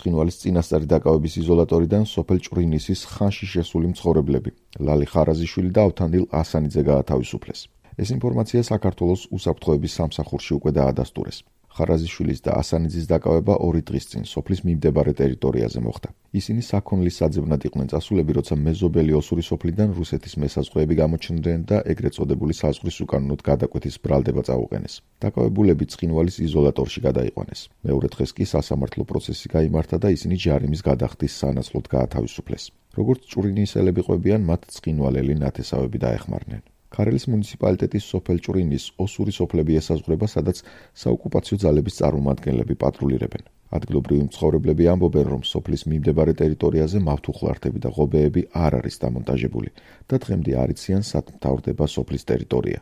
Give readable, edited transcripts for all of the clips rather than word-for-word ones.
ცხინვალის წინასწარი დაკავების იზოლატორიდან სოფელ ჭვრინისის ხანში შესული მცხოვრებლები ლალი ხარაზიშვილი და ავთანდილ ასანიძე გაათავისუფლეს. ეს ინფორმაცია საქართველოს უსაფრთხოების სამსახურში უკვე დაადასტურეს. ხარაზიშვილის და ასანიძის დაკავება 2 დღის წინ სოფლის მიმდებარე ტერიტორიაზე მოხდა. ისინი საქონლის საძებნად იყვნენ წასულები, როცა მეზობელი ოსური სოფლიდან რუსეთის მესაზღვრეები გამოჩნდნენ და ეგრეთ წოდებული საზღვრის უკანონოდ გადაკვეთის ბრალდება წაუყენეს. დაკავებულები ცხინვალის იზოლატორში გადაიყვანეს. მეორე დღეს კი სასამართლო პროცესი გაიმართა და ისინი ჯარიმის გადახდის სანაცვლოდ გაათავისუფლეს. როგორც ჭვრინისელები ყვებიან, მათ ცხინვალელი ნათესავები დაეხმარნენ. ქარელის მუნიციპალიტეტის სოფელ ჭვრინის ოსური სოფლები ესაზღვრება, სადაც საოკუპაციო ძალების წარმომადგენლები პატრულირებენ. ადგილობრივი მცხოვრებლები ამბობენ, რომ სოფლის მიმდებარე ტერიტორიაზე მავთუხლართები და ღობეები არ არის დამონტაჟებული და დღემდე არ იციან სად მთავრდება სოფლის ტერიტორია.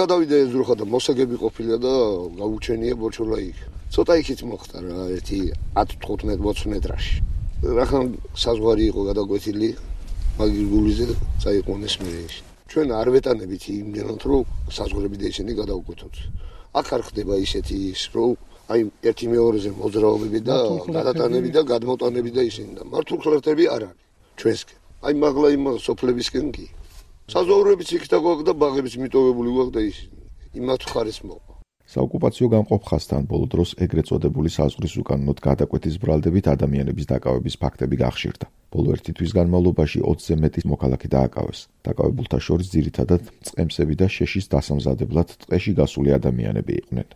გადავიდა ეზრუხა და მოსაგები ყოფილა და გაუჩენია ბორჩოლა იქ. ცოტა იქით მოხდა რა, ერთი 10-15 მეტრაში. რახან საზღვარი იყო გადაკვეთილი მაგის გულიზე წაიყვანეს მერეში. ჩვენ არ ვეტანებით იმდენად, რომ საზღვრები და ისინი გადაუკვეთოთ. აქ არ ხდება ისეთი ის, რომ აი ერთი მეორეზე მოძრაობები და გადატანები და გადმოტანები და ისინი და მართულხლერთები არ არის ჩვენსკენ. აი მაღლა იმ სოფლებისკენ კი. საზღვრებიც იქ და გვაქვს და ბაღებიც მიტოვებული გვაქვს და ისინი. იმათ ხარეს მოყვა. საოკუპაციო გამყოფხასთან ბოლო დროს ეგრეთ წოდებული საზღვრის უკანონოდ გადაკვეთის ბრალდებით ადამიანების დაკავების ფაქტები გახშირდა. ბოლო 1 თვის განმავლობაში 20-ზე მეტი მოქალაქე დააკავეს. დაკავებულთა შორის ძირითადად წყემსები და შეშის დასამზადებლად ტყეში გასული ადამიანები იყვნენ.